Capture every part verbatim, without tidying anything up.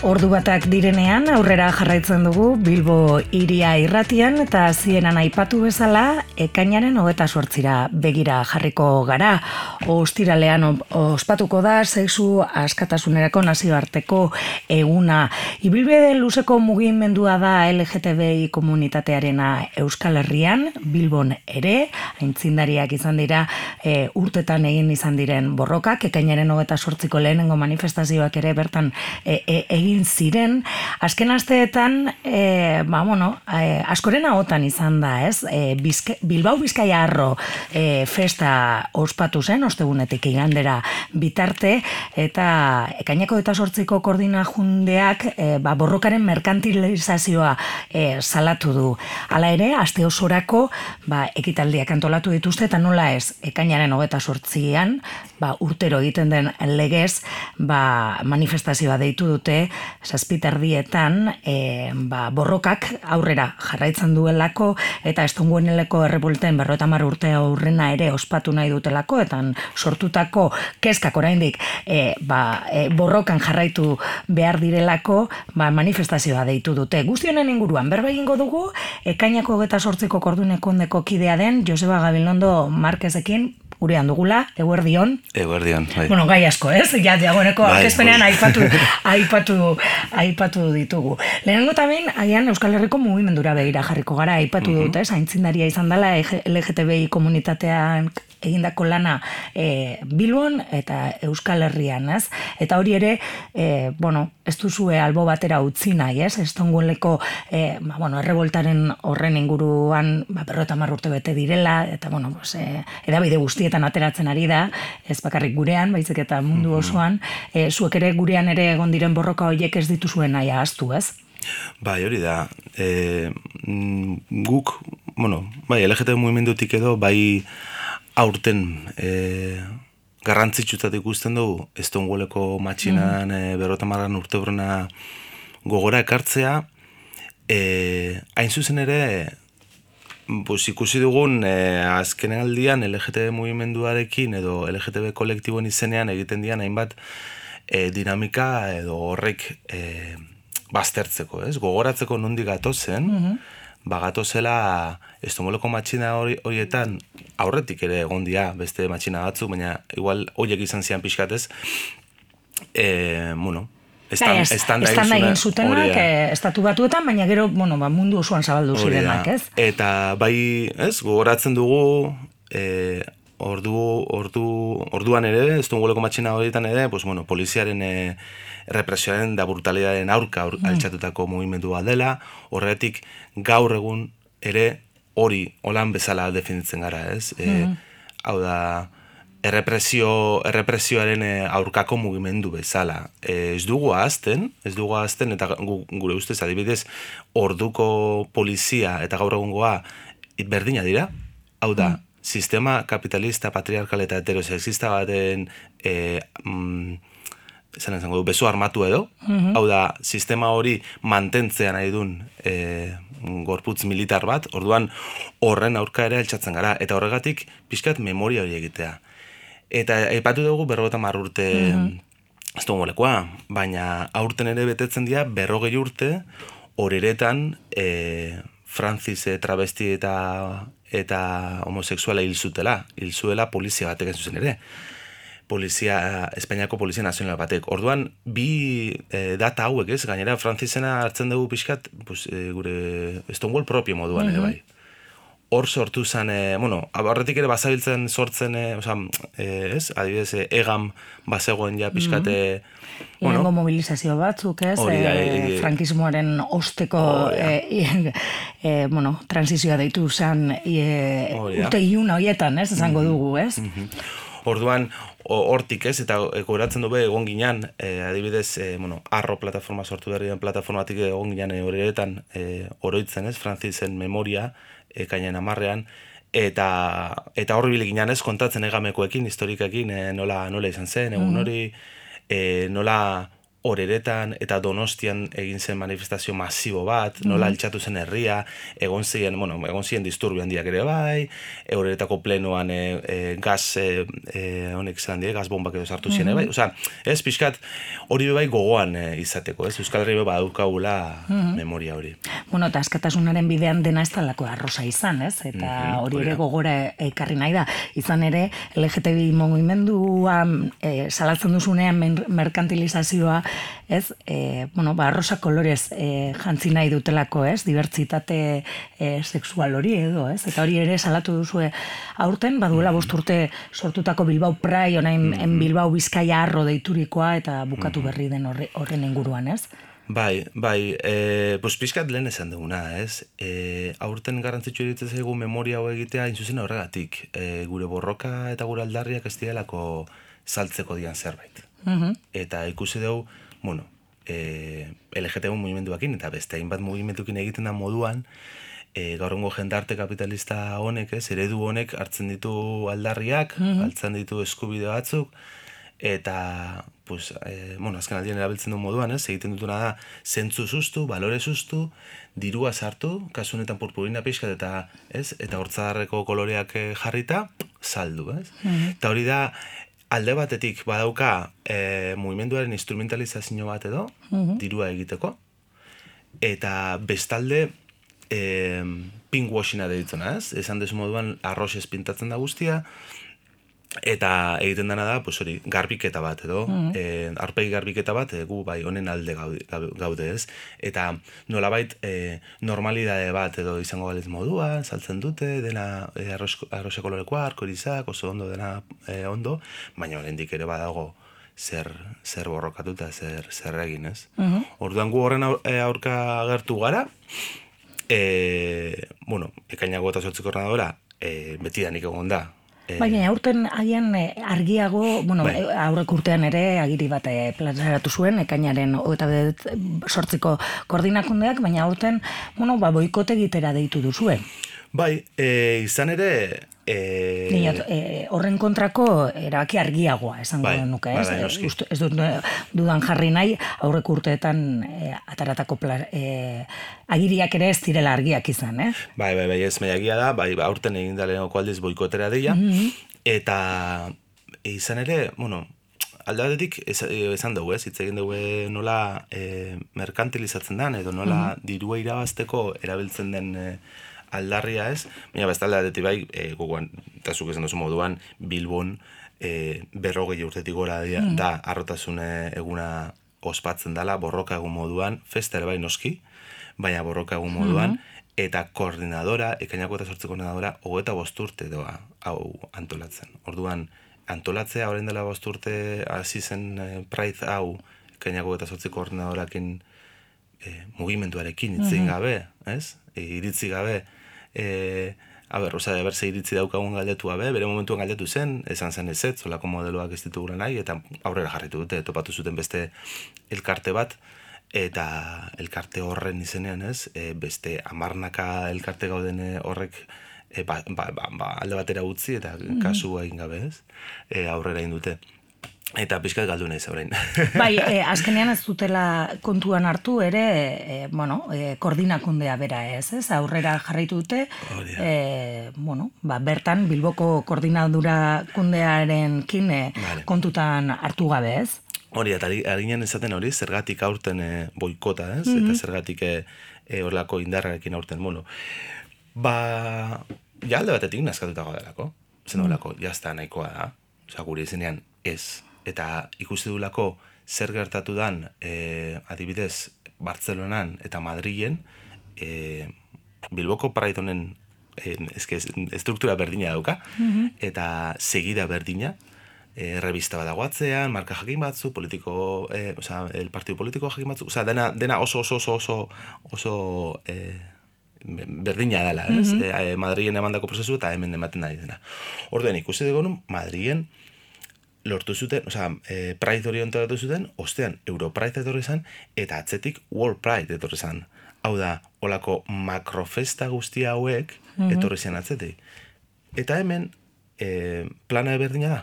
Ordu batak direnean aurrera jarraitzen dugu Bilbo hiria irratian eta hasieran aipatu bezala ekainaren hogeta zortzira begira jarriko gara. Ostiralean ospatuko da sexu askatasunerako nazioarteko eguna. Ibilbide luzeko mugimendua da L G T B I komunitatearena Euskal Herrian, Bilbon ere, aintzindariak izan dira e, urtetan egin izan diren borrokak, ekainaren hogeta zortziko lehenengo manifestazioak ere bertan e, e, egin ziren, azken asteetan e, ba, bueno, e, askoren ahotan izan da, ez? E, Bizke, Bilbao Bizkaia Arro e, festa ospatu zen, ostegunetik igandera bitarte, eta ekaineko eta sortziko koordinajundeak e, ba, borrokaren merkantilizazioa e, salatu du. Hala ere, aste osorako ba, ekitaldiak antolatu dituzte, eta nola ez, ekainaren hogeta sortzian, ba, urtero egiten den legez, ba, manifestazioa deitu dute, zazpiterdietan e, ba, borrokak aurrera jarraitzen duelako eta Estongueneleko errebolten berrogeita hamar urte aurrena ere ospatu nahi dutelako eta sortutako kezkak oraindik e, ba, e, borrokan jarraitu behar direlako ba, manifestazioa deitu dute. Guztionen inguruan berba egingo dugu ekainako hogeta zortziko kordunekondeko kidea den Joseba Gabilondo Marquezekin gurean dugula, eguerdion. Eguerdion, bai. Bueno, gai asko, ez? Ja, diagoneko bai, aurkezpenean aipatu, aipatu, aipatu ditugu. Lehenengo tamen, agian Euskal Herriko mugimendura begira jarriko gara, aipatu uh-huh. dut, ez? Aintzindaria izan dela L G T B I komunitatean egindako lana e, Bilbon eta Euskal Herrian, ez? Eta hori ere, e, bueno, ez duzue albo batera utzi nahi, ez? Estongueleko, e, ba, bueno, erreboltaren horren inguruan, ba, berrogeita hamar urte bete direla, eta, bueno, pues, e, edabide guztietan ateratzen ari da, ez bakarrik gurean, baizik eta mundu osoan, e, zuek ere gurean ere egon diren borroka horiek ez dituzuen nahi ahaztu, ez? Bai, hori da. E, guk, bueno, bai, L G T B mugimendutik edo, bai, aurten e, garrantzitsutat ikusten dugu Estongueleko matxinan mm. e, berrogeita hamar urte horrena gogora ekartzea, e, hain zuzen ere pues, ikusi dugun e, azkenen aldian L G T B mugimenduarekin edo L G T B kolektiboen izenean egiten dian hainbat e, dinamika edo horrek e, baztertzeko, ez? Gogoratzeko nondik gatozen, mm-hmm. Bagato zela Estongueleko matxina horietan aurretik ere egon dira beste matxina batzuk, baina igual horiek izan zian pixkatez, e, bueno, estan, es, estan da egin zutenak, e, estatu batuetan, baina gero, bueno, ba, mundu osoan zabaldu zirenak, ez? Eta bai, ez, gogoratzen dugu, e, ordu, ordu, orduan ere, Estongueleko matxina horietan ere, pues, bueno, poliziaren e, represioaren da brutalidaren aurka aur, mm. altxatutako mugimendua dela, horretik gaur egun ere hori holan bezala definitzen gara, ez? E, mm. Hau da, errepresio, errepresioaren aurkako mugimendu bezala. E, ez dugu ahazten, ez dugu ahazten, eta gure ustez adibidez, orduko polizia eta gaur egungoa berdina dira, hau da, mm. sistema kapitalista, patriarkal eta heterosexista baten e, mm, esan izango du, beso armatu edo, mm-hmm. hau da, sistema hori mantentzea nahi dun e, gorputz militar bat, orduan horren aurka ere altxatzen gara, eta horregatik pixkat memoria hori egitea. Eta aipatu dugu berrogeita hamar urte mm-hmm. Estonguelekoa, baina aurten ere betetzen dira berrogei urte horiretan e, Francis e, travesti eta, eta homosexuala hil zutela, hil zuela polizia batek ez zuzen ere. Polizia, Espainiako Polizia Nazional batek. Orduan, bi e, data hauek, ez? Gainera, Frantzisena hartzen dugu pixkat, pues, e, gure Stonewall propio moduan, mm-hmm. ere bai. Hor sortu zen, e, bueno, abarretik ere bazabiltzen sortzen, e, oza, e, ez? Adibidez, e, egam bazegoen ja pixkat, mm-hmm. bueno, Irengo mobilizazio batzuk, ez? Hori, e, e, frankismoaren osteko, e, e, bueno, transizioa deitu zen, e, urte iluna horietan, ez? Esango mm-hmm. dugu, ez? Mm-hmm. Orduan, hortik ez, eta goratzen du be egon ginean, e, adibidez, e, bueno, Arro plataforma sortu berri den plataformatik egon ginean e, horretan e, oroitzen ez, Frantzisen memoria, e, kainen amarrean, eta eta horri bilik ginean ez, kontatzen egamekoekin, historikakin, e, nola, nola izan zen, egun hori, e, nola Oreretan eta Donostian egin zen manifestazio masibo bat, nola altxatu zen herria, egon ziren, bueno, egon ziren disturbio handiak ere bai, Oreretako plenoan e, e, gaz, e, e, honek zelan die, gaz bombak edo sartu ziren, mm -hmm. bai, osea, ez, pixkat, hori bai gogoan e, izateko, ez, Euskal Herri badaukagula mm -hmm. memoria hori. Bueno, eta askatasunaren bidean dena ez talako arrosa izan, ez, eta mm -hmm. hori ere gogora ekarri nahi da, izan ere, L G T B I mugimenduan e, salatzen duzunean merkantilizazioa, ez, e, bueno, ba, arrosa kolorez e, jantzi nahi dutelako, ez, dibertsitate e, sexual hori edo, ez, eta hori ere salatu duzue aurten, baduela bost urte sortutako Bilbao Pride, orain mm-hmm. Bilbao Bizkaia Arro deiturikoa, eta bukatu berri den horre, horren inguruan, ez? Bai, bai, e, pues pixkat lehen esan duguna, ez? E, aurten garrantzitsu egiten zaigu memoria hau egitea intzuzen horregatik, e, gure borroka eta gure aldarriak ez direlako saltzeko dian zerbait. Mm-hmm. Eta ikusi dugu, bueno, e, L G T B mugimenduakin eta beste hainbat mugimendukin egiten da moduan, e, gaurrengo jendarte kapitalista honek, ez, eredu honek hartzen ditu aldarriak, mm-hmm. hartzen ditu eskubide batzuk, eta, pues, e, bueno, azken aldien erabiltzen du moduan, ez, egiten dutuna da, zentzu sustu, balore sustu, dirua sartu, kasu honetan purpurina pixkat eta, ez, eta hortzadarreko koloreak jarrita, saldu, ez? Mm-hmm. Eta hori da, alde batetik badauka e, mugimenduaren instrumentalizazio bat edo, mm-hmm. dirua egiteko, eta bestalde e, pinkwashina deitzena, ez? Esan desu moduan arroxez pintatzen da guztia, eta egiten dena da, pues hori, garbiketa bat edo, mm-hmm. e, arpegi garbiketa bat, e, gu bai honen alde gaude, gaude ez, eta nolabait e, normalidade bat edo izango baliz modua, saltzen dute, dena e, arroxe kolorekoa, arkorizak, oso ondo dena e, ondo, baina oraindik ere badago zer, zer borrokatuta, zer, zer egin, ez? Mm-hmm. Orduan gu horren aurka agertu gara, e, bueno, ekainako eta zortziko ordenadora, e, betidanik egon da, Baina, aurten haien argiago, bueno, bai. aurrek urtean ere agiri bat plazaratu zuen, ekainaren hogeita zortziko koordinakundeak, baina aurten, bueno, ba, boikote egitera deitu duzue. Bai, e, izan ere... E... Niot, e, horren kontrako erabaki argiagoa, esango bai, nuke, ez? Bai, bai, ez, ez dut dudan jarri nahi, aurrek urteetan e, ataratako pla, e, agiriak ere ez direla argiak izan, eh? Bai, bai, bai, ez maiagia da, bai, aurten egin da lehenoko aldiz boikotera deia, mm-hmm. eta izan ere, bueno, alde batetik esan dugu, ez? Hitz egin dugu nola e, merkantilizatzen den, edo nola mm-hmm. dirua irabazteko erabiltzen den e, aldarria ez, baina bestalde adetik bai, e, gogoan, eta zuk esan duzu moduan, Bilbon e, berrogei urtetik gora da, mm. da arrotasun eguna ospatzen dela, borroka egun moduan, festa ere bai noski, baina borroka egun moduan, mm-hmm. eta koordinadora, ekainako eta sortzeko koordinadora, hogeita bost urte doa hau antolatzen. Orduan, antolatzea orain dela bost urte hasi zen e, Pride hau, ekainako eta sortzeko koordinadorakin e, mugimenduarekin itzin mm-hmm. gabe, ez? E, iritzi gabe, e, a ber, oza, berze iritzi daukagun galdetu gabe, bere momentuan galdetu zen, esan zen ez ez, zolako modeloak ez ditugula nahi, eta aurrera jarritu dute, topatu zuten beste elkarte bat, eta elkarte horren izenean ez, e, beste amarnaka elkarte gauden horrek e, ba, ba, ba, ba, alde batera utzi, eta mm-hmm. kasu egin gabe ez, e, aurrera egin dute. Eta pixkat galdu nahiz orain. Bai, e, azkenean ez dutela kontuan hartu ere, e, bueno, e, koordinakundea bera ez, ez? Aurrera jarraitu dute, e, bueno, ba, bertan Bilboko koordinadura kundearen kin e, vale. kontutan hartu gabe ez? Hori, eta arginen esaten hori, zergatik aurten e, boikota ez, mm-hmm. eta zergatik horrelako e, indarrarekin aurten, bueno, ba, ja alde batetik nazkatutago delako, zen horrelako, mm. jazta nahikoa da, oza, gure izenean ez, eta ikusi dulako zer gertatu dan e, adibidez Bartzelonan eta Madrilen e, Bilboko Pride honen e, eske, estruktura berdina dauka mm-hmm. eta segida berdina e, revista bat dagoatzean, marka jakin batzu, politiko, e, oza, el partido politiko jakin batzu, oza, dena, dena oso oso oso oso, oso e, berdina dela, ez? Mm-hmm. E, Madrilen emandako prozesu eta hemen ematen nahi dena. Orduan ikusi dugu Madrilen lortu zuten, oza, e, Pride hori ontatu zuten, ostean Europride etorri zan, eta atzetik World Pride etorri zan. Hau da, olako makrofesta guztia hauek mm-hmm. etorri zen atzetik. Eta hemen, e, plana eberdina da.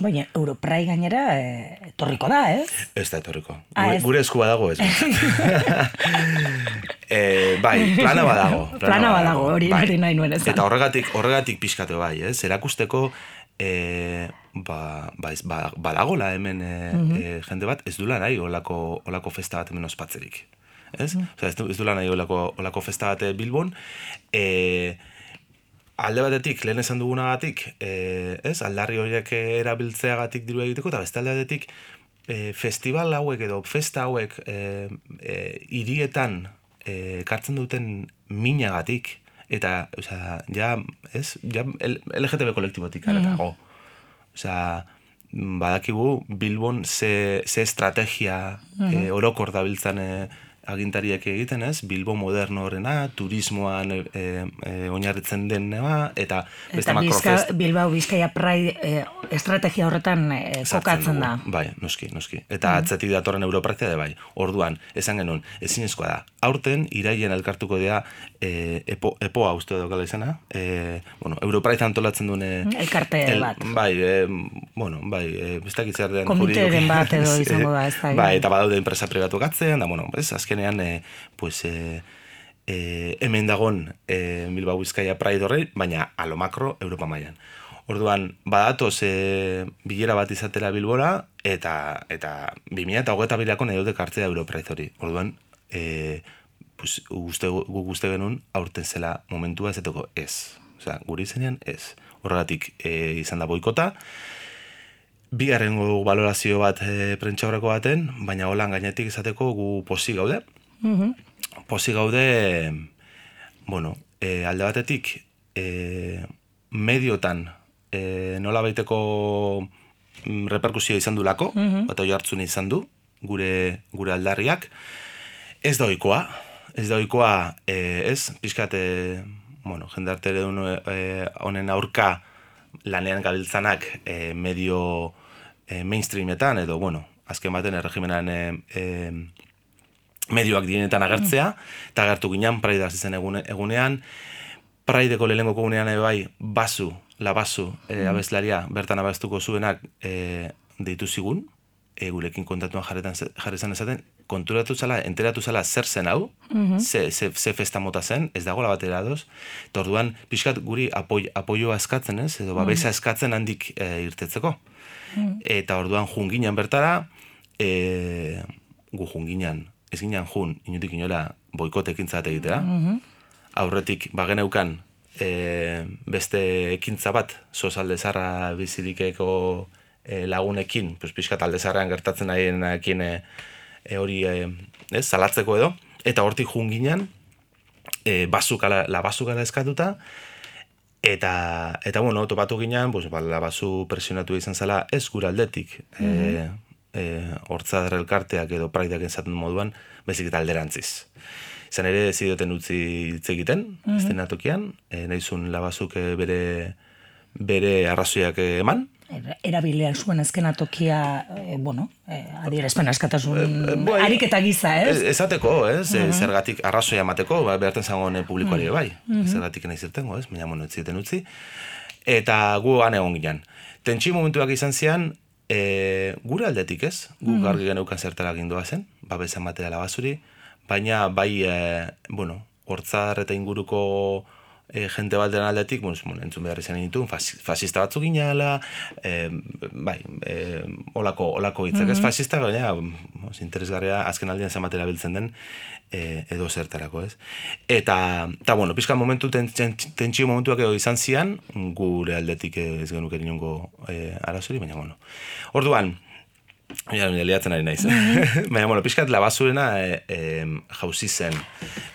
Baina, Europrai gainera eh, etorriko da, ez? Ez da etorriko. Ah, Gure, ez. gure esku badago ez. e, bai, plana badago. Plana, Plana badago, hori bai. hori nahi nuen esan. Eta horregatik, horregatik pixkatu bai, ez? Erakusteko, e, ba, ba, ez, ba, badagola hemen e, e, jende bat, ez dula nahi olako, olako festa bat hemen ospatzerik. Ez? Mm. Osea, ez, du, ez dula nahi olako, olako festa bat Bilbon, e, alde batetik, lehen esan dugunagatik, e, ez, aldarri horiek erabiltzeagatik diru egiteko, eta beste alde batetik, e, festival hauek edo festa hauek e, e, hirietan e, kartzen duten minagatik, eta, osea, ja, ez, ja, L G T B kolektibotik aratago. Osea, badakigu Bilbon ze, ze estrategia e, orokor dabiltzan e, agintariak egiten, ez? Bilbo moderno horrena, turismoan e, e, oinarritzen denema, eta beste makrofest. Eta Bilbao Bizkaia Pride e, estrategia horretan e, kokatzen da. Bai, noski, noski. Eta mm. atzetik datorren Europratzea da bai. Orduan, esan genuen, ezinezkoa da. Aurten, irailen elkartuko dira e, epo, epoa uste daukala izena. E, bueno, Europratzea antolatzen duen... Elkarte el, bat. Bai, e, bueno, bai, e, ez dakit zer den... Komiteren bat edo izango da, ez da. Bai, eta badaude enpresa pribatu gatzen, da, bueno, ez, azkenean, e, pues, e, e, hemen dagon e, Bilbao Bizkaia Pride horrei, baina alo makro Europa mailan. Orduan, badatoz e, bilera bat izatera Bilbora, eta eta bi mila hogeita birako nahi dute kartzea Europride hori. Orduan, e, pues, uste, guk uste genuen aurten zela momentua ezeteko ez. Osea, guri izenean ez. Horregatik e, izan da boikota, bigarrengo balorazio bat e, prentxaurreko baten, baina holan gainetik izateko gu posi gaude. Mm-hmm. Posi gaude, bueno, e, alde batetik, e, mediotan e, nola baiteko reperkusioa izan du lako, mm-hmm. bat oi hartzun izan du, gure, gure aldarriak. Ez da ohikoa, ez da ohikoa, e, ez, pixkat, e, bueno, jendarte e, honen aurka lanean gabiltzanak e, medio e, mainstreametan, edo, bueno, azken baten erregimenan e, e, medioak dienetan agertzea, eta agertu ginen Pride zen egune, egunean, Prideko lehenengo egunean bai, basu, labasu, e, abeslaria, bertan abestuko zuenak e, deitu zigun, e, gurekin kontatuan jarretan, jarrezan ezaten, konturatu zala, enteratu zala zer zen hau, mm-hmm. ze, ze, ze festa mota zen, ez dago labatera doz, eta orduan, pixkat guri apoi, apoioa eskatzen, ez, edo babesa eskatzen handik e, irtetzeko. Mm-hmm. Eta orduan junginan bertara, e, gu junginan, ez ginen jun, inutik inola, boikote ekintza bat egitea. Mm-hmm. Aurretik, bageneukan, e, beste ekintza bat, soz aldezarra bizirikeko e, lagunekin, pues, pixkat aldezarrean gertatzen nahienekin e, e, hori, e, ez, salatzeko edo, eta hortik junginan, e, basukala, la basukala eskatuta, eta, eta bueno, topatu ginen, pues, ba, la basu presionatu izan zela, ez gura aldetik, mm-hmm. e, E, hortzadar elkarteak edo praideak enzaten moduan, bezik eta alderantziz. Izan ere, zidioten utzi hitz egiten, mm-hmm. estenatokian, e, nahizun labazuk bere, bere arrazoiak eman. Erabilea zuen eskenatokia, e, bueno, e, adierazpen askatasun e, e, ariketa giza, ez? Ezateko, ez? Mm-hmm. Zergatik arrazoia emateko, ba, beharten zagoen publikoari bai. Mm-hmm. Zergatik nahi zirtengo, ez? Baina, bueno, ez ziten utzi. Eta gu han egon ginen. Tentsi momentuak izan zian, E, gure aldetik ez, guk argi geneukan zertara gindoa zen, babesan materiala basuri, baina bai, e, bueno, hortzar eta inguruko e, jente balderen aldetik, bueno, entzun behar izan dituen, fascista batzuk ginala, e, bai, e, olako, olako hitzak ez fascista, baina os, interesgarria azken aldean zen materiala biltzen den, e, edo zertarako ez. Eta, eta bueno, pixka momentu, tentsio momentuak edo izan zian, gure aldetik ez genuke inongo e, arazori, baina bueno. Orduan, ja, liatzen ari naiz. Baina, bueno, pixkat labasurena e, e, jauzi zen.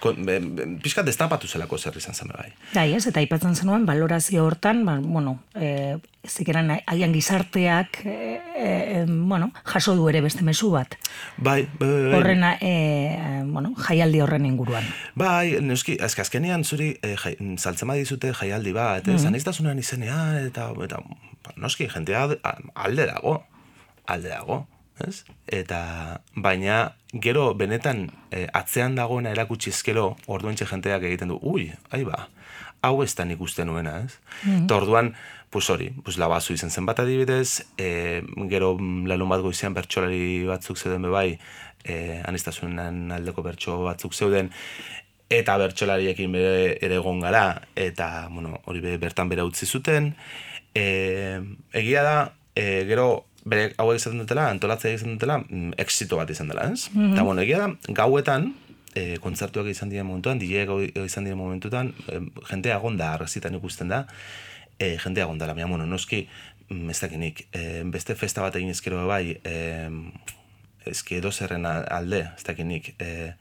Kon, e, pixkat destapatu zelako zer izan zen bai. Bai, ez, eta aipatzen zenuen, balorazio hortan, ba, bueno, e, zikeran haian gizarteak, e, e, bueno, jaso du ere beste mezu bat. Bai, bai, bai. Horren, e, bueno, jaialdi horren inguruan. Bai, neuski, azkenean zuri, e, jai, saltzema dizute jaialdi bat, mm-hmm. zaniztasunean izenean, eta, eta noski, jentea alde dago. alde dago, ez? Eta, baina, gero, benetan, e, atzean dagoena erakutsizkero, orduentxe jenteak egiten du, ui, ahi ba, hau ez da nik uste nuena, ez? Mm-hmm. Eta orduan, pues hori, pues labazu izan zen bat adibidez, e, gero larun bat goizean bertsolari batzuk zeuden bebai, e, anistasunen aldeko bertso batzuk zeuden, eta bertsolariekin bere ere egon gara, eta, bueno, hori be, bertan bera utzi zuten. E, egia da, e, gero, bere hauek izaten dutela, antolatzea izan dutela, exito bat izan dela, ez? Mm-hmm. Eta, bueno, egia da, gauetan, e, kontzertuak izan diren momentuan, D J izan diren momentuan, e, jentea agonda, arrazitan ikusten da, e, jentea agonda, baina, bueno, noski, ez dakinik, e, beste festa bat egin ezkero bai, e, ezki edo zerren alde, ez dakinik, e,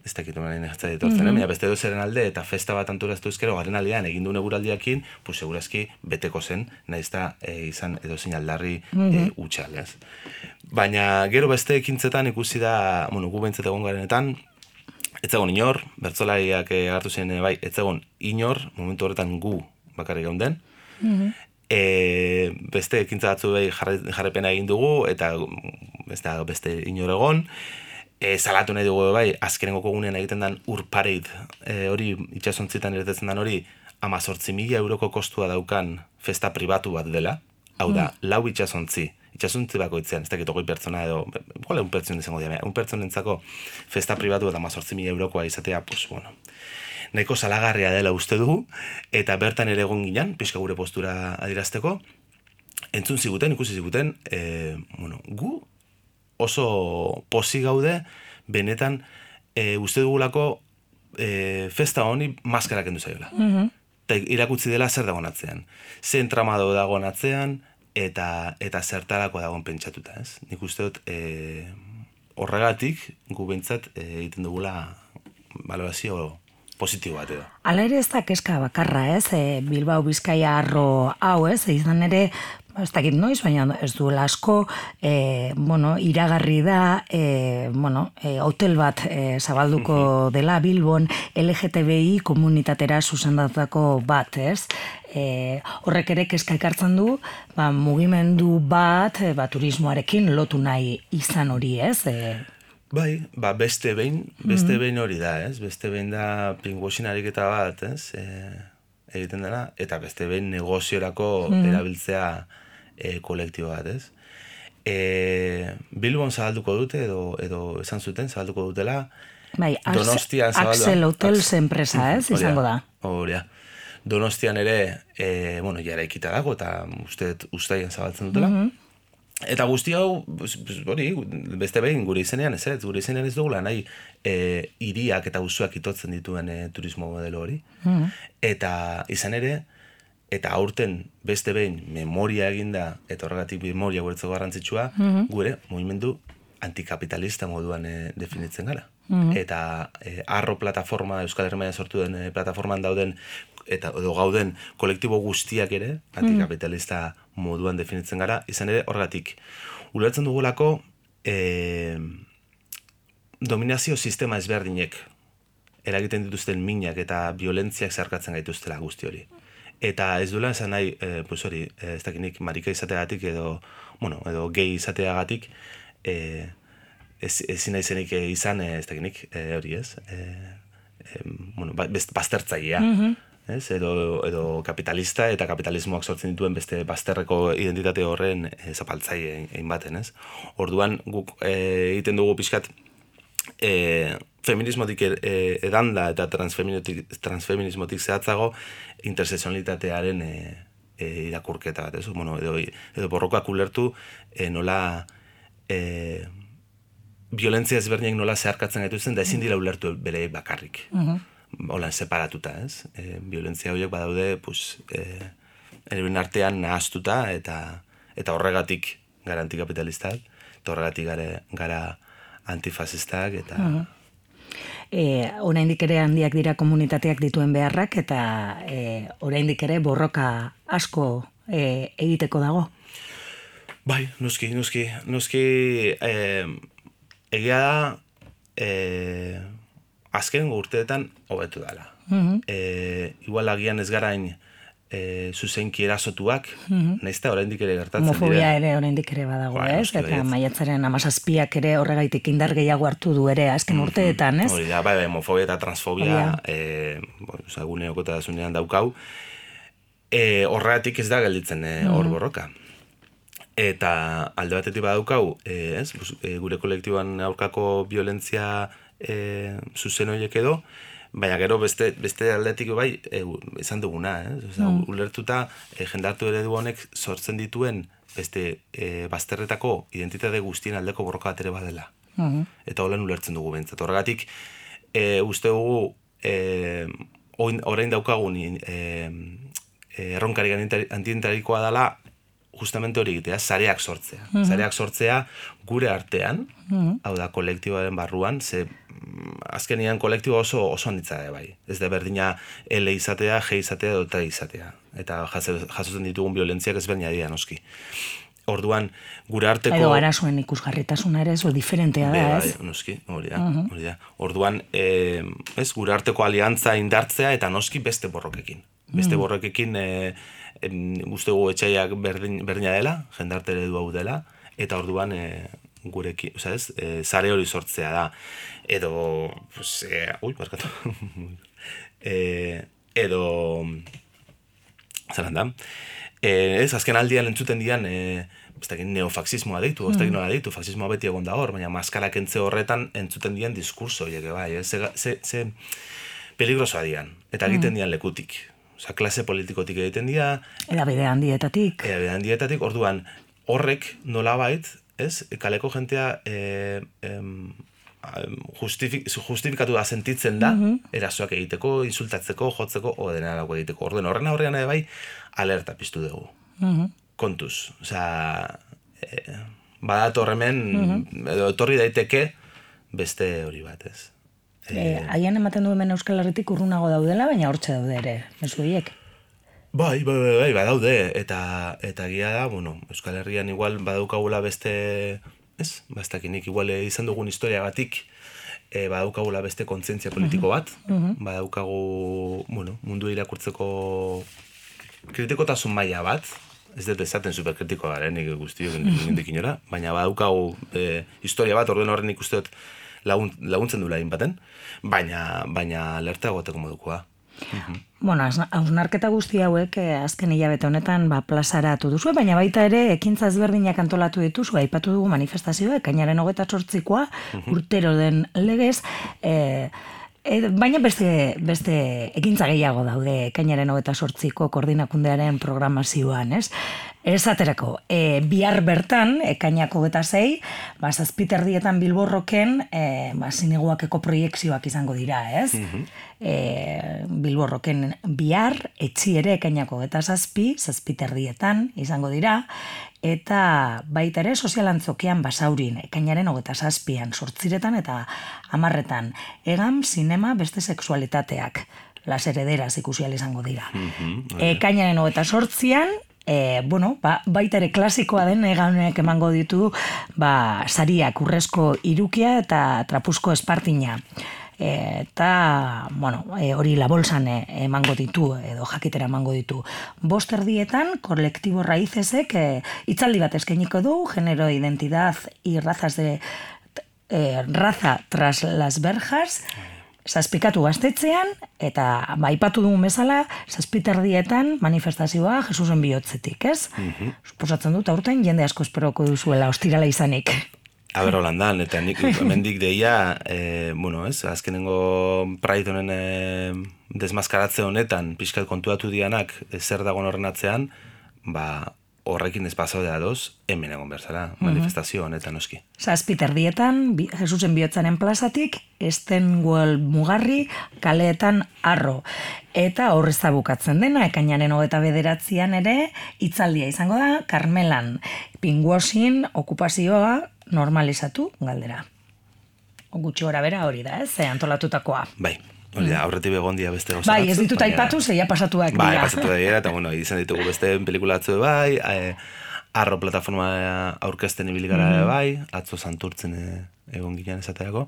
ez dakitu menen egatzea ditortzen, mm-hmm. eh? Beste edo zerren alde, eta festa bat anturaztu ezkero, garen aldean, egin du eguraldiakin, pues segurazki beteko zen, nahiz da e, izan edo zein aldarri mm-hmm. e, utxal, ez? Baina gero beste ekintzetan ikusi da, bueno, gu behintzat egon garenetan, ez zegoen inor, bertzolariak agartu ziren bai, ez zegoen inor, momentu horretan gu bakarrik geunden, mm-hmm. e, beste ekintza batzu behi jarre, jarrepena egin dugu, eta beste, beste inor egon, E, salatu nahi dugu bai, azkenengo kogunean egiten den urpareid, e, hori itxasontzitan irtetzen den hori, amazortzi mila euroko kostua daukan festa pribatu bat dela, hau da, mm. lau itxasontzi, itxasontzi bakoitzean, ez dakit ogoi pertsona edo, gola un pertson izango dira, un pertsonentzako festa pribatu eta amazortzi mila eurokoa izatea, pues bueno, nahiko salagarria dela uste dugu, eta bertan ere egon ginen, pixka gure postura adirazteko, entzun ziguten, ikusi ziguten, e, bueno, gu, oso posi gaude, benetan, e, uste dugulako e, festa honi maskara kendu zaiola. Mm-hmm. Eta irakutzi dela zer dagoen atzean. Ze entramado dagoen atzean, eta, eta zertarako dagoen pentsatuta, ez? Nik uste dut, e, horregatik, gu behintzat, e, egiten dugula balorazio positibo bat edo. Hala ere ez da keska bakarra, ez? E, Bilbao Bizkaia arro hau, ez? Izan ere, ez dakit noiz, baina ez duela asko, e, bueno, iragarri da, e, bueno, e, hotel bat e, zabalduko uh-huh. dela Bilbon, L G T B I komunitatera zuzendatako bat, ez? E, horrek ere kezka ekartzen du, ba, mugimendu bat, e, ba, turismoarekin lotu nahi izan hori, ez? E, Bai, ba, beste behin, beste mm-hmm. behin hori da, ez? Beste behin da pinguosin ariketa bat, ez? E, egiten dela, eta beste behin negoziorako mm-hmm. erabiltzea e, kolektibo bat, ez? E, Bilbon zabalduko dute, edo, edo esan zuten, zabalduko dutela, bai, Donostian zabalduko. Axel Hotels enpresa, ez? Izango da. Horia. Donostian ere, e, bueno, jara ikita dago, eta uste, ustaien zabaltzen dutela. Mm-hmm. Eta guzti hau, hori, beste behin gure izenean ez, ez, gure izenean ez dugula nahi e, iriak eta usuak itotzen dituen e, turismo modelo hori. Mm. Eta izan ere, eta aurten beste behin memoria eginda, eta horregatik memoria guretzeko garrantzitsua, mm-hmm. gure mugimendu antikapitalista moduan e, definitzen gara. Mm-hmm. Eta e, arro plataforma, Euskal Herria sortu den e, plataforman dauden, eta edo gauden kolektibo guztiak ere, antikapitalista mm. moduan definitzen gara, izan ere horregatik. Ulertzen dugulako e, dominazio sistema ezberdinek eragiten dituzten minak eta violentziak zeharkatzen gaituztela guzti hori. Eta ez duela esan nahi, e, pues hori, ez dakinik marika izateagatik edo, bueno, edo gay izateagatik, e, ez, ezin naizenik izan, ez dakinik, e, hori ez, e, e, bueno, baztertzailea. Mm-hmm. Ez, edo, edo kapitalista eta kapitalismoak sortzen dituen beste bazterreko identitate horren e, zapaltzaile egin baten, ez? Orduan guk e, egiten dugu pixkat e, feminismotik e, edanda eta transfeminismotik zehatzago interseksualitatearen e, e, irakurketa bat, ez? Bueno, edo, edo borrokak ulertu e, nola e, violentzia ezberdinak nola zeharkatzen gaituzten da ezin dira ulertu bere bakarrik. Uh-huh. Holan separatuta, ez? E, violentzia horiek badaude, pues, e, erebin artean nahaztuta eta eta horregatik gara antikapitalistak, eta horregatik gara, gara antifasistak, eta... Uh-huh. E, oraindik ere handiak dira komunitateak dituen beharrak, eta e, oraindik ere borroka asko e, egiteko dago. Bai, nuski, nuski, nuski, e, egia da, e, azken urteetan hobetu dela. Mm-hmm. E, igual agian ez garain e, zuzenki erasotuak, mm-hmm. naizta oraindik ere gertatzen dira. Homofobia ere oraindik ere badago, ba, ez? Eta maiatzaren hamazazpiak ere horregaitik indar gehiago hartu du ere azken mm-hmm. urteetan, ez? Hori da, bai, homofobia eta transfobia e, bueno, gune okotasunean daukau. E, horregatik ez da gelditzen e, hor mm-hmm. borroka. Eta alde batetik badaukau, e, ez? E, gure kolektiboan aurkako violentzia e, zuzen horiek edo, baina gero beste, beste aldetik bai e, izan duguna, eh? Oza, mm. ulertuta e, jendartu eredu honek sortzen dituen beste e, bazterretako identitate guztien aldeko borroka bat ere badela. Mm-hmm. Eta holan ulertzen dugu bentsat. Horregatik, e, uste dugu e, orain daukagun e, e, erronkari antientarikoa dela justamente hori egitea, sareak sortzea. Mm-hmm. Sareak sortzea gure artean, mm-hmm. hau da kolektiboaren barruan, ze azkenian kolektibo oso oso handitza da bai. Ez da berdina L izatea, G izatea edo T izatea. Eta jasotzen ditugun violentziak ezberdina dira noski. Orduan, gure arteko... Edo arazoen ikusgarritasuna ere zo diferentea da, ez? Bai, noski, hori da, uh-huh. hori da. Orduan, e, ez, gure arteko aliantza indartzea eta noski beste borrokekin. Beste uh-huh. borrokekin e, e, uste gu etxaiak berdin, berdina dela, jendarte eredu hau dela, eta orduan e, gurekin, oza ez, e, zare hori sortzea da. Edo, pues, e, ui, barkatu, e, edo, zelan da, e, ez, azken aldian entzuten dian, e, ez dakit neofaxismoa deitu, ez dakit nola deitu, faxismoa beti egon da hor, baina maskarak entze horretan entzuten dian diskurso horiek, bai, ez, ze, ze, ze peligrosoa dian, eta egiten dian lekutik. Osa, klase politikotik egiten dira. Edabide handietatik. Edabide handietatik, orduan, horrek nolabait, ez, kaleko jentea e, em, justifik, justifikatu da sentitzen da, mm-hmm. erasoak egiteko, insultatzeko, jotzeko, o dena dago egiteko. Orduan, horren aurrean ere bai, alerta piztu dugu. Mm-hmm. Kontuz. Osa, e, badato horremen, mm-hmm. edo etorri daiteke beste hori bat, ez. Haien e, ematen du hemen Euskal Herritik urrunago daudela, baina hortxe daude ere, mezu hiek. Bai, bai, bai, bai, badaude, eta, eta gia da, bueno, Euskal Herrian igual badaukagula beste, ez, bastakinik, igual izan dugun historiagatik, e, badaukagula beste kontzientzia politiko bat, uh-huh. badaukagu, bueno, mundu irakurtzeko kritikotasun maila bat, ez dut esaten superkritikoa garen, nik guztiok indik inora, baina badaukagu e, historia bat, orden horren ikusteot lagun, laguntzen duela baten, baina, baina alerta goteko modukoa. Uh-huh. Bueno, hausnarketa guzti hauek eh, azken hilabete honetan ba, plazaratu duzu, baina baita ere ekintza ezberdinak antolatu dituzu, aipatu dugu manifestazioa, ekainaren hogeita zortzikoa, uh-huh. urtero den legez, eh, e, baina beste, beste ekintza gehiago daude ekainaren hogeita zortziko koordinakundearen programazioan, ez? Esaterako, e, bihar bertan, ekainako hogeita sei, ba, zazpiterdietan Bilborroken e, ba, zineguakeko proiekzioak izango dira, ez? Mm-hmm. E, Bilborroken bihar, etxi ere ekainako hogeita zazpi, zazpiterdietan izango dira, eta baita ere sozialantzokian Basaurin, ekainaren hogeita zazpian, sortziretan eta hamarretan, egam, zinema, beste sexualitateak, las herederas ikusial izango dira. Mm-hmm. Ekainaren hogeita zortzian, E, bueno, ba, baita ere klasikoa den eganek emango ditu ba, sariak urrezko irukia eta trapuzko espartina. E, eta, bueno, e, hori la bolsan emango ditu, edo jakitera emango ditu. Bost erdietan, kolektibo raizesek e, itzaldi bat eskainiko du, genero, identidad y razas de e, raza tras las verjas, zazpikatu gaztetzean, eta baipatu dugun bezala, zazpiterdietan manifestazioa Jesusen bihotzetik, ez? Mm-hmm. Suposatzen dut, aurten jende asko esperoko duzuela, ostirala izanik. Aber holandan, eta nik hemendik deia, e, bueno, ez, azkenengo Pride honen e, desmaskaratze honetan, pixkat kontuatu dianak, e, zer dagoen horren atzean, ba, horrekin ez pasaude adoz, hemen egon berzara, manifestazio honetan oski. Zazpiterdietan, Jesusen bihotzaren plazatik, Estenguel mugarri, kaleetan arro. Eta horrez da bukatzen dena, ekainaren hogeita bederatzian ere, hitzaldia izango da, Karmelan, pinguosin okupazioa normalizatu galdera. Gutxi gora bera hori da, ez, antolatutakoa. Bai. Hori da, aurretik begondia beste gauza bai, ez ditut aipatu, zeia pasatuak dira. Bai, pasatu dira, eta bueno, izan ditugu beste pelikula atzu bai, e, arro plataforma aurkezten ibili gara mm-hmm. bai, atzo santurtzen egon ginean esaterako,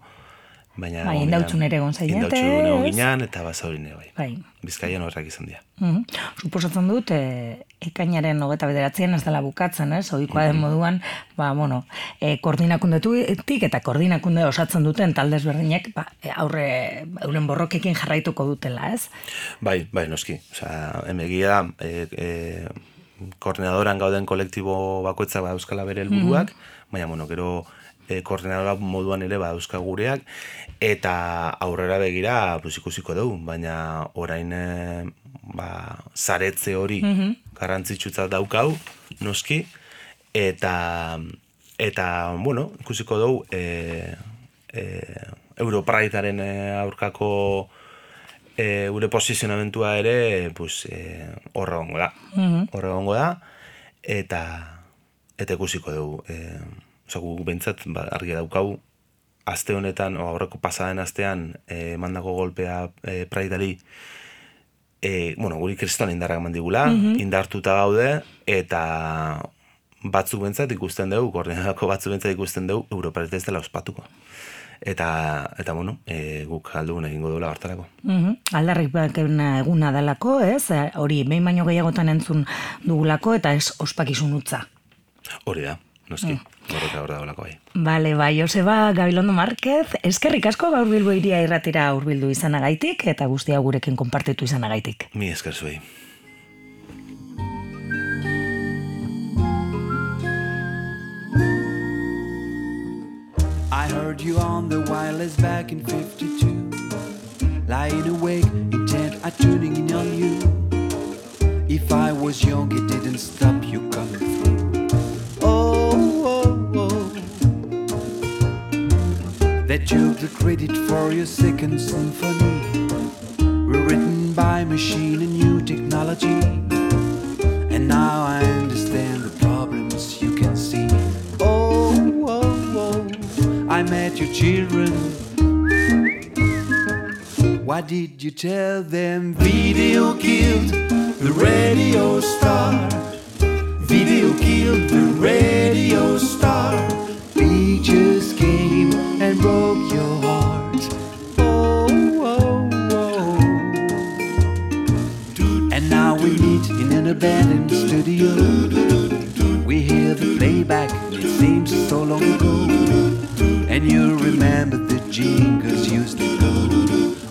Baina, bai, indautxun ere egon zainete. Indautxun egon ginean, eta basaurin bai. bai. Bizkaian horrak izan dira. Mm-hmm. Suposatzen dut, e, ekainaren hogeita bederatzien ez dela bukatzen, ez? Ohikoa den moduan, ba, bueno, e, koordinakundetik eta koordinakunde osatzen duten talde ezberdinek, ba, aurre, euren borrokekin jarraituko dutela, ez? Bai, bai, noski. Osea, emegia, e, e, koordinadoran gauden kolektibo bakoitzak ba euskala bere helburuak, mm-hmm. baina, bueno, gero e, koordinadora moduan ere ba euskal gureak, eta aurrera begira pues, ikusiko dugu, baina orain e, ba, zaretze hori mm-hmm. garrantzitsutzat daukau, noski, eta, eta bueno, ikusiko dugu e, e, Europraitaren aurkako e, gure posizionamentua ere pues, e, horre gongo da, mm-hmm. horre gongo da, eta, eta ikusiko dugu. E, Osa, gu behintzat ba, argi daukau, aste honetan, o aurreko pasaden astean, eh, mandako golpea eh, praidari, eh, bueno, guri kristoan indarrak mandigula, mm-hmm. indartuta gaude, eta batzuk behintzat ikusten dugu, koordinadako batzuk behintzat ikusten dugu, Europareta ez dela ospatuko. Eta, eta bueno, e, guk aldugun egingo duela hartarako. Mm-hmm. Aldarrik eguna dalako, ez? Hori, behin baino gehiagotan entzun dugulako, eta ez ospakizun utza. Hori da. Noski, horreka hor dagoelako bai. Bale, bai, Joseba Gabilondo Márquez, eskerrik asko gaur Bilbo Hiria irratira hurbildu izanagaitik eta guztia gurekin konpartitu izanagaitik. Mi esker zuei. I heard you on the wireless back in fifty-two, lying awake, intent at tuning in on you. If I was young, it didn't stop you coming through. That took the credit for your second symphony, rewritten by machine and new technology. And now I understand the problems you can see. Oh, oh, oh, I met your children. What did you tell them? Video killed the radio star. Video killed the radio star. Pictures came and broke your heart. Oh, oh, oh. And now we meet in an abandoned studio. We hear the playback, it seems so long ago. And you remember the jingles used to go.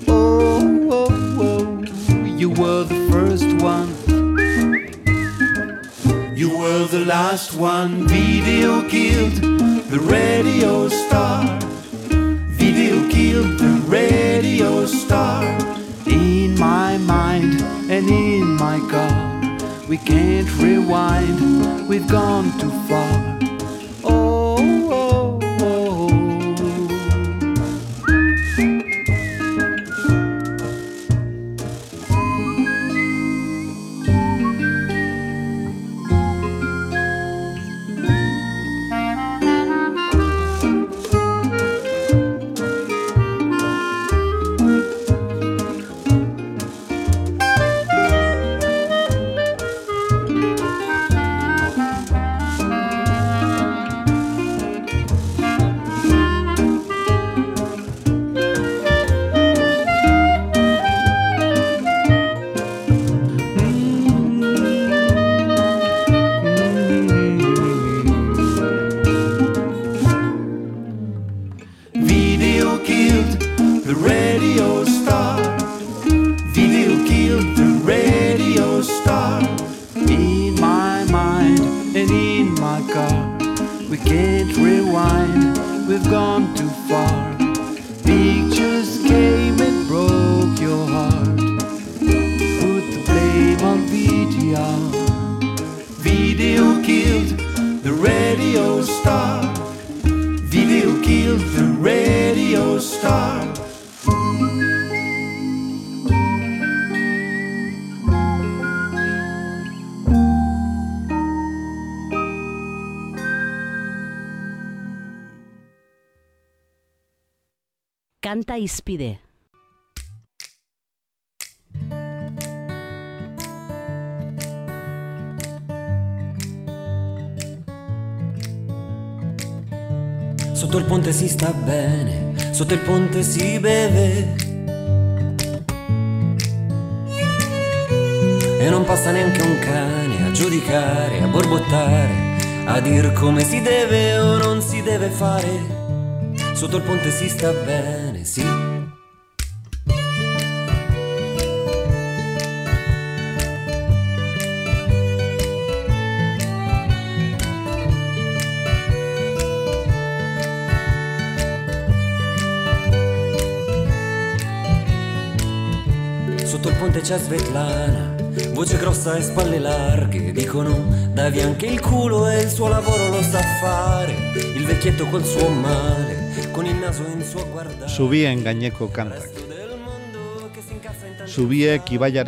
Oh, oh, oh, you were the first one. You were the last one. Video killed the radio star. Video killed the radio star. In my mind and in my car, we can't rewind, we've gone too far. Oh, oh, oh. Kanta Izpide. Sotto il ponte si sta bene, sotto il ponte si beve e non passa neanche un cane a giudicare, a borbottare, a dir come si deve o non si deve fare. Sotto il ponte si sta bene, sì. Sotto il ponte c'è Svetlana, voce grossa e spalle larghe, dicono dai via anche il culo e il suo lavoro lo sa fare. Il vecchietto col suo male, con il naso in suo guardare. Zubien gaineko kantak. Zubiek ibaiaren